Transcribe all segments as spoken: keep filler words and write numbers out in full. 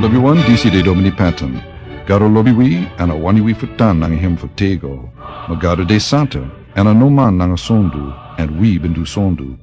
Lobiwan, disi de Domini Patton. Gado lobi wi, èn a wani wi fu tan nanga hem fu tego. Ma Gado de santa, èn a no man nanga sondu, èn wi ben du sondu.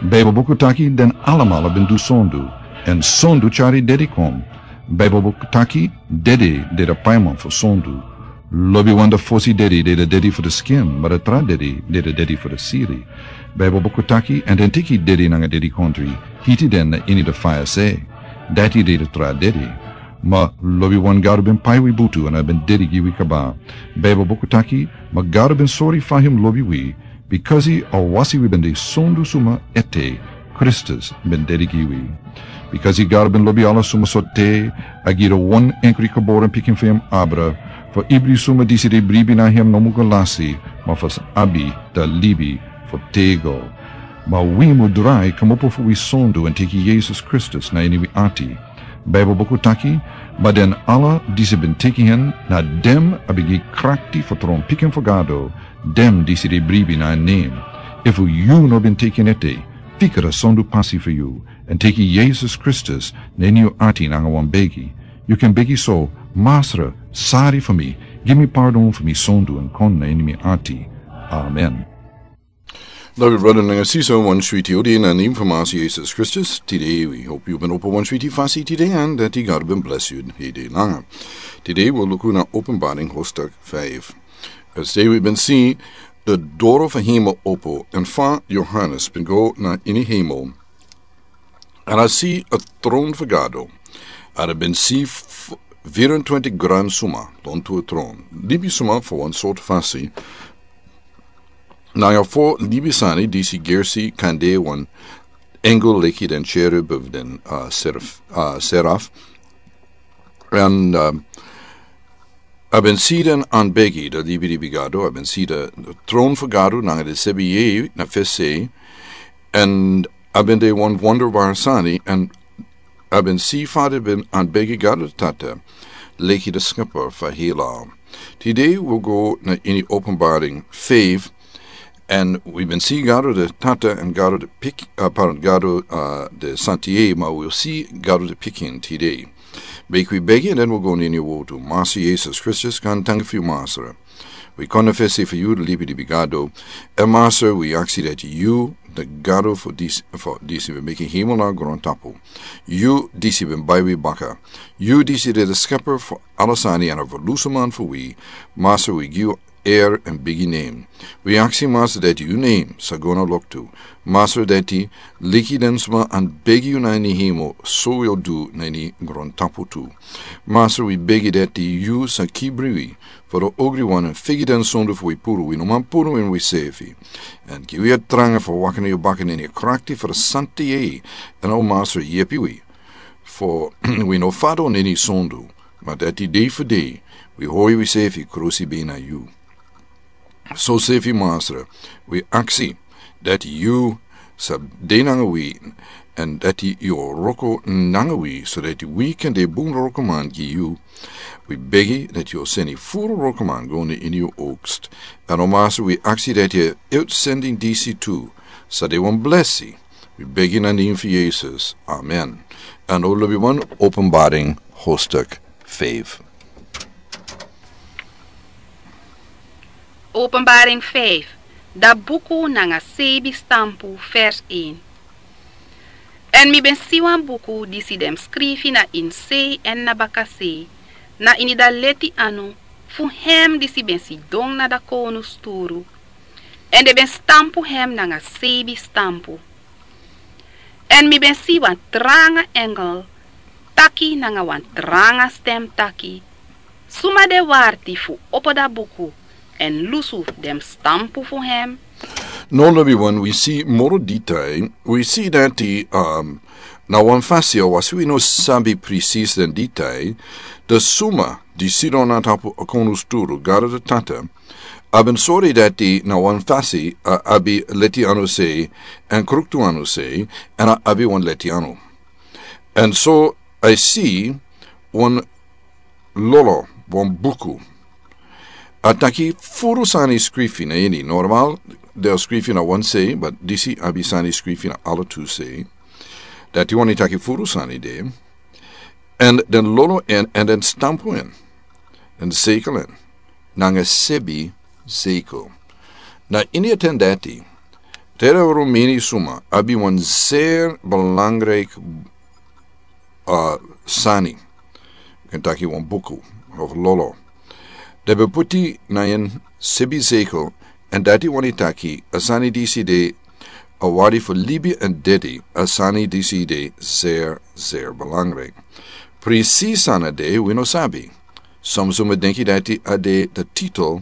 Baibel buku taki den alamala ben du sondu, èn sondu tyari dedi kon. Baibel buku taki dedi de de paiman fu sondu. Lobiwan, da fosi dedi de de dedi fu de skin, ma da tra dedi de de dedi fu de siri. Baibel buku taki, èn den teki dedi nanga dedi kontri, hiti den na ini de faya se. Dati de de tra dedi. Ma lobiwan, Gado ben pai wi butu èn a ben dedi gi wi kaba. Baibel buku taki, ma Gado ben sori fa hem lobi wi, bikasi a wasi wi ben de sondu suma ete, Kristus ben dedi gi wi. Bikasi Gado ben lobi ala suma sortu, a gi de wan enkri geboren pikin fu hem abra, fu ibri suma disi de bribi na hem no mu go lasi, ma fu abi da libi fu tego. Ma wi mu drai kmopo fu wi sondu èn teki Yesus Kristus na ini wi ati. Baibel buku taki, ma den ala disi ben teki hen, na den a ben gi krakti fu tron pikin fu Gado, den disi de bribi na en nen. Efu yu no ben teki en ete, fika da sondu pasi fu yu, èn teki Yesus Kristus na ini yu ati nanga wan begi. Yu kan begi so: Masra, sari fu mi, gi mi pardon fu mi sondu èn kon na ini mi ati. Amen. Lobi brada nanga sisa, wan switi odi na nen fu Masi Yesus Kristus. Tide wi hopi yu ben opo wan switi fasi tide, èn dati Gado ben bless yu hede nanga. Tide wi luku na Openbaring hoofdstuk five. Tide wi ben si de doro fu hemel opo, èn fa Johannes ben go na ini hemel, èn a si a tron fu Gado. Èn a ben si f-, vierentwintig gran suma lontu a tron. Libisuma fu wan sortu fasi. Nanga fo libisani disi gersi kande wan engel leki den cherub of den, uh, seraf, uh, seraf. Èn, um, a ben si den anbegi da libi libi Gado, a ben si de, de tron fu Gado nanga de sebi yeye na fesi, èn a ben de wan wonderbar sani, èn a ben si fa den ben anbegi Gado Tata, leki de Skepper fu hela. Tide wi go na ini Openbaring five, èn wi ben si Gado de Tata èn Gado de Pik-, uh, pardon, Gado, uh, de Santi, ma wi si Gado de Pikin tide. Meki wi begi, èn den wi go na ini yu wortu. Masi Yesus Kristus, kan tanki fu yu, Masra. Wi kon na fesi fu yu, libi libi Gado. Èn Masra, wi aksi dati yu, de Gado fu disi, fu disi ben meki hemel nanga grontapu. Yu disi ben bai wi baka. Yu disi de de Skepper fu ala sani èn a Ferlusuman fu wi. Masra, wi gi yu er èn bigi nen. Wi aksi, Masra, dati yu nen sa go na loktu. Masra, dati leki den suma anbegi yu na ini hemel, so wi o du na ini grontapu tu. Masra, wi begi dati yu sa kibri wi fu de ogriwan èn figi den sondu fu wi puru, wi no man puru ini wisefi. Èn gi wi a tranga fu waka na yu baka na ini a krakti fu de Santi Yeye. Èn o Masra, yepi wi fu wi no fadon na ini sondu, ma dati dei fu dei wi hori wisefi krusi bina yu. Sosefi, Masra, wi aksi dati yu sa de nanga wi, èn dati yu o wroko nanga wi, so dati wi kan de bun wrokoman gi yu. Wi begi dati yu o seni furu wrokoman go na ini yu oogst. Èn o Masra, wi aksi dati a uitsending disi tu sa de wan blesi. Wi begi na nen fu Yesus. Amen. Èn o lobiwan, Openbaring hoofdstuk five. Openbaring five, da buku nanga seibi stampu, vers een. Èn mi ben si wan buku disi den skrifi na ini sei èn na bakasei, na ini da leti anu fu hem disi ben sidon na da kownu sturu. Èn den ben stampu hem nanga seibi stampu. Èn mi ben si wan tranga engel taki nanga wan tranga stem taki: Suma de warti fu opo da buku èn lusu den stampu fu hem? Now, lobiwan, wi si moro detail. Wi si dati, um, na wan fasi, a wasi wi no sabi precies den detail, de suma di sidon na tapu a kownu sturu, Gado de Tata, a ben sori dati na wan fasi, a abi leti anu sei èn kruktu anu sei, èn a abi wan leti anu. Èn so a si wan lolo, wan buku. A taki furu sani skrifi na ini. Normal den o skrifi na wan sei, but disi abi sani skrifi na ala tu sei. Dati wani taki furu sani de. Èn den lolo en èn den stampu en, den zekel en nanga sebi zekel. Na ini a ten dati, tera rumeni suma abi wan zeer belangrijk, uh, sani. Ken taki wan buku of lolo. Den ben puti na en sebi zekel, èn dati wani taki a sani disi de a wari fu libi èn dedi, a sani disi de zeer zeer belangrijk. Precies ana de wi no sabi. Soms wi mi denki dati a de de titel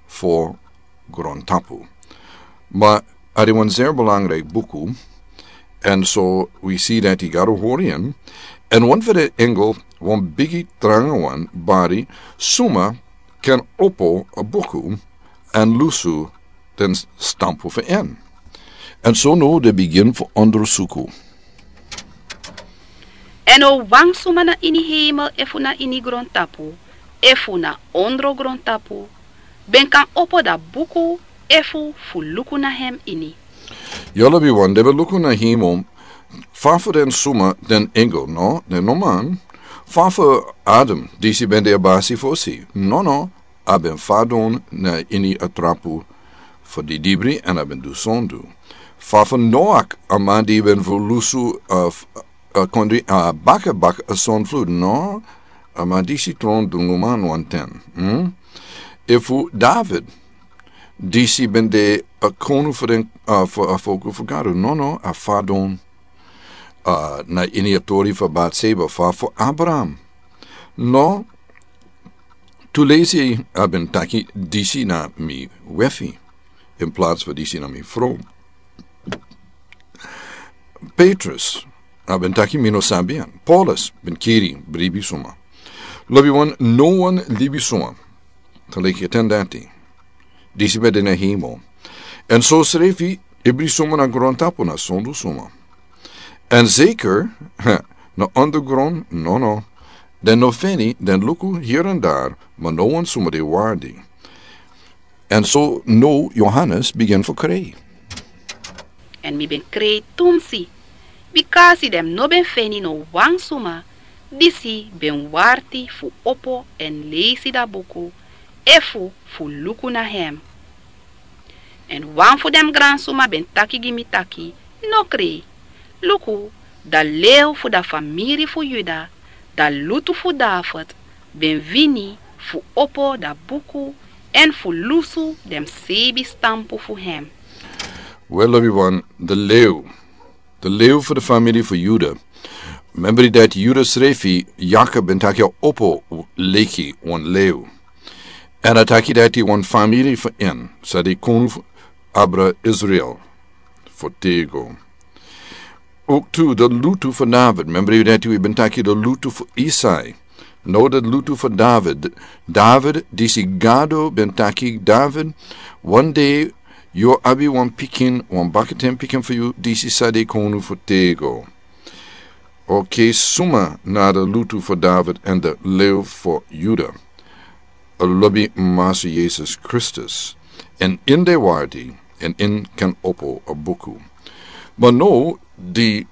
fu grontapu. Ma a de wan zeer belangrijk buku. En so wi si dati gado hori en. En wan fu den engel, wan bigi tranga wan bari, suma ken opo a buku èn lusu den stampu fu en. En so no de bigin fu ondersuku. En no wan suma na ini heimel efu na ini grontapu efu na ondro grontapu ben kan opo da buku efu fu luku na hem ini. Yolo bi wan de ben luku na heimel. Fa fu den suma den engel no den no man. Fa fu adam disi ben de a basi fosi no no. A ben fadon na ini a trapu fu di dibri èn a ben du sondu. Fa fu noak a man di ben fu lusu a kondri a baka baka a son flu no. A man disi tron dungu man wan ten. Efu david disi ben de a konu fu den fu a foku fu gado no no a fadon na ini a tori fu batseba fa fu abraham. No. Tu lesi a ben taki disi na mi wefi in plats fu disi na mi fro. Petrus a ben taki mi no sabi an paulus ben kiri bribi suma. Lobi wan no wan libi suma. Taleki a ten dati disi ben de na hemel. Èn so srefi ibri suma na grontapu na sondu suma. Èn zeker na ondergron no no. Den no feni den luku hiri èn dari ma no wan suma de wardi. Èn so no yohanes bigin fu krei. Èn mi ben krei tumsi bikasi den no ben feni no wan suma disi ben warti fu opo èn leisi da buku efu fu luku na hem. Èn wan fu den gransuma ben taki gi mi taki no krei. Luku da lew fu da famiri fu yuda da lutu fu david ben wini fu opo da buku èn fu lusu den sebi stampu fu hem. We lobi wan de lew de lew fu de famili fu yuda. Membri dati yuda srefi yakob ben taki a opo leki wan lew. Èn a taki dati wan famili fu en sa de konu fu abra israel fu tego. Oktu de lutu fu david membri dati wi ben taki de lutu fu isai. No de lutu fu david. David disi gado ben taki david wan de yu o abi wan pikin wan bakaten pikin fu yu disi sa de konu fu tego. Oke suma na de lutu fu david èn de lew fu yuda. A lobi masu yesus kristus èn in de wardi èn in ken opo a buku. Ma no di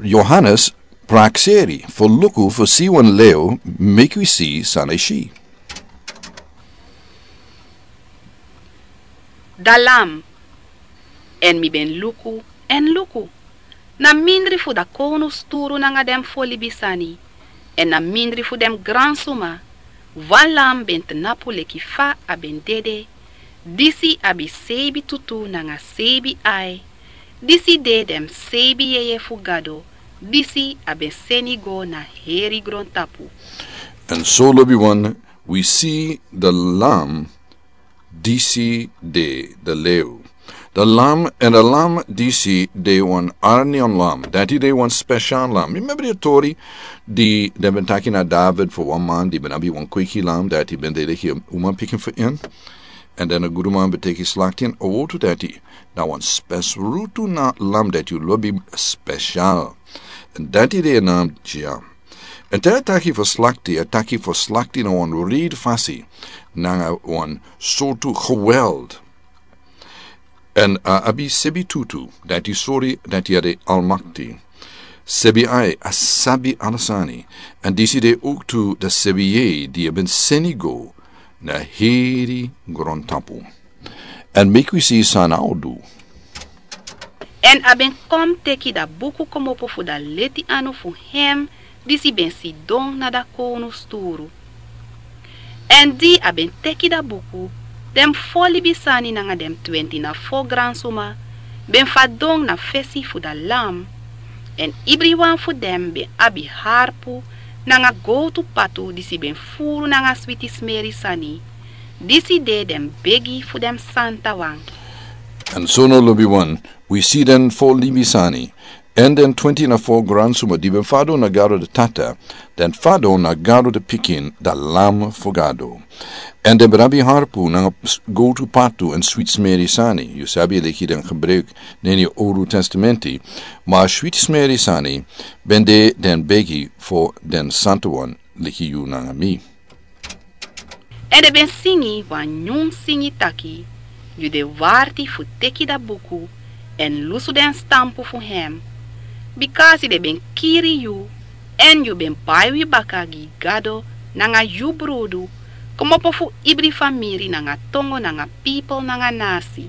yohanes prakseri fu luku fu si wan lew meki wi si san e si. Da lam èn mi ben luku èn luku na mindri fu da kownu sturu nanga den fu o libi sani èn na mindri fu den gransuma wan lam ben tnapu leki fa a ben dede. Disi abi seibi tutu nanga seibi ai. Disi de den seibi yeye fu gado disi a ben seni go na heri grontapu. Èn so lobiwan wi si de lam disi de de lew. De lam èn de lam disi de wan arnion lam dati de wan spesial lam mi membri a tori. Di den ben taki na david fu wan man di ben abi wan kweki lam dati ben de leki uman pikin fu in. Èn den a guduman ben teki slakti en a wotu dati na wan spesrutu na lam dati yu lobi spesial. Èn dati de a nam dya. Èn te a taki fu slakti a taki fu slakti na wan rid fasi nanga wan sortu geweld. Èn a abi sebi tutu dati sori dati a de almakti. Sebi ai a sabi ala sani, èn disi de owktu da sebi yei di a ben seni go na heri grontapu. Èn meki wi si san a o du. Èn a ben kon teki da buku komopo fu da leti anu fu hem disi ben sidon na da kownu sturu. Èn di a ben teki da buku, den fo libisani nanga den twenti na fo gransuma ben fadon na fesi fu da Lam. Èn ibriwan fu den ben abi harpu nanga gowtu patu disi ben furu nanga switi smeri sani. Disi de den begi fu den santawan. Èn so now, lobiwan, wi si den fo libisani, èn den twenti na fo gransuma di ben fadon na Gado de Tata, den fadon na Gado de Pikin, da Lam fu Gado. Èn den ben abi harpu nanga s-, gowtu patu èn switi smeri sani, yu sabi, leki den gebruik na ini Owru Testamenti, ma switi smeri sani ben de den begi fo den santawan leki yu nanga mi. Èn den ben singi wan nyun singi taki: Yu de warti fu teki da buku èn lusu den stampu fu hem. Bikasi den ben kiri yu, èn yu ben bai wi baka gi Gado nanga yu brudu, komopo fu ibri famiri nanga tongo nanga pipel nanga nasi.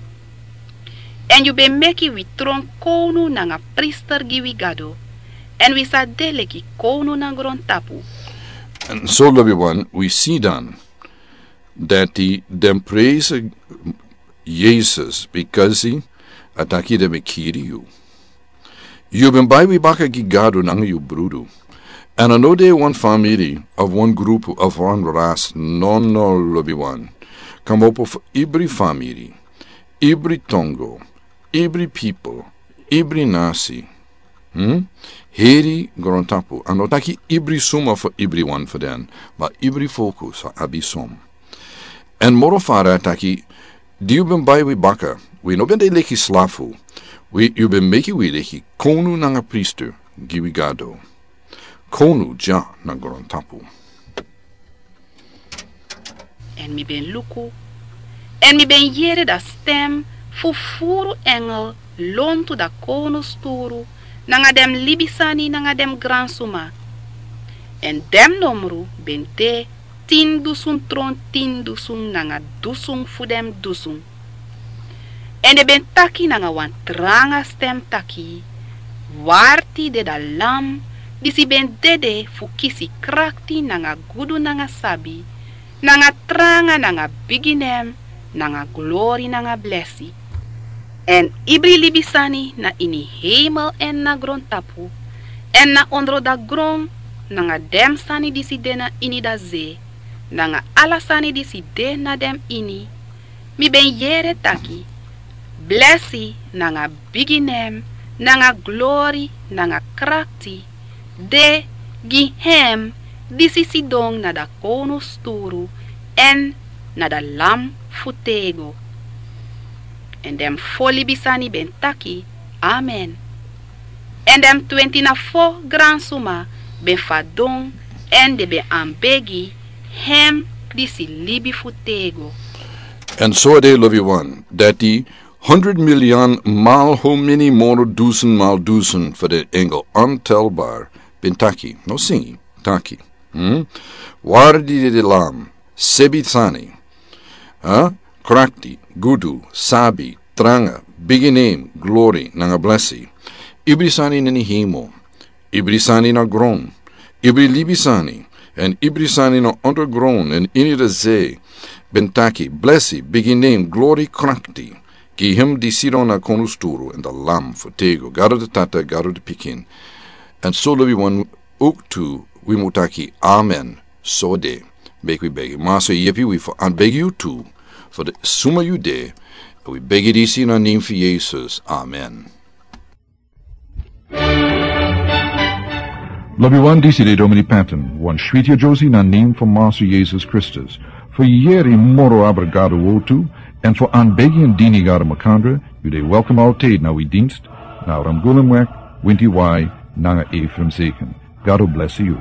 Èn yu ben meki wi tron kownu nanga priester gi wi Gado, èn wi sa de leki kownu na grontapu. Èn so, lobiwan, wi si dan dati den presi Yesus, bikasi a taki den ben kiri yu. Yu ben bai wi baka gi Gado nanga yu brudu. Èn a no de wan famiri of wan grupu of wan ras, no, no, lobiwan. Komopo fu ibri famiri, ibri tongo, ibri pipel, ibri nasi. Hmm? Heri grontapu, a no taki ibri suma fu ibriwan fu den, ma ibri folku sa abi som. Èn moro fara a taki, di yu ben bai wi baka, wi no ben de leki slafu, wi, yu ben meki wi leki kownu nanga priester gi wi Gado. Kownu dya na grontapu. Èn mi ben luku, èn mi ben yere da stem fu furu engel lontu da kownu sturu, nanga den libisani nanga den gransuma. Èn den nomru ben de tin dusun tron tin dusun nanga dusun fu den dusun. Èn den ben taki nanga wan tranga stem taki: Warti de da Lam, disi ben dede fu kisi krakti nanga gudu nanga sabi, nanga tranga nanga bigi nen, nanga glori nanga blesi. Èn ibri libisani na ini heimel èn na grontapu, èn na ondro da gron, nanga den sani disi de na ini da ze, nanga ala sani disi de na den ini, mi ben yere taki: Blesi nanga bigi nen, nanga glori nanga krakti de gi hem disi sidon na da kownu sturu, èn na da Lam fu tego. Èn den fo libisani ben taki: Amen. Èn den twenti na fo gransuma ben fadon, èn den ben anbegi hem disi libi fu tego. Èn so a de, lobiwan, dati hondro milyon mal how many moro dusun mal dusun fu den engel, ontelbar, ben taki, no singi, taki. Hmm? Wardi de da Lam, sebi sani. Ha? Krakti, gudu, sabi, tranga, bigi nen, glori, nanga blesi. Ibri sani na ini heimel, ibri sani na gron, ibri libisani, èn ibri sani na ondro gron èn ini da ze, ben taki: Blesi, bigi nen, glori, krakti, gi hem di sidon na kownu sturu, èn da Lam fu tego, Gado da Tata, Gado da Pikin. Èn so, lobiwan, owktu wi mu taki: Amen. So a de. Meki wi begi. Masa, yepi wi fu anbegi yu tu, fu den suma yu de. Wi begi disi na nen fu Yesus. Amen. Lobiwan, disi de Domini Patton, wan switi yeyere na nen fu Masa Yesus Kristus. Fu yere moro abra Gado wowtu, èn fu anbegi èn dini Gado makandra, yu de welkom altijd na wi dienst, na Ramgulumweg, Winti Wai, nanga Ephraim Zeken. Gado blesi yu.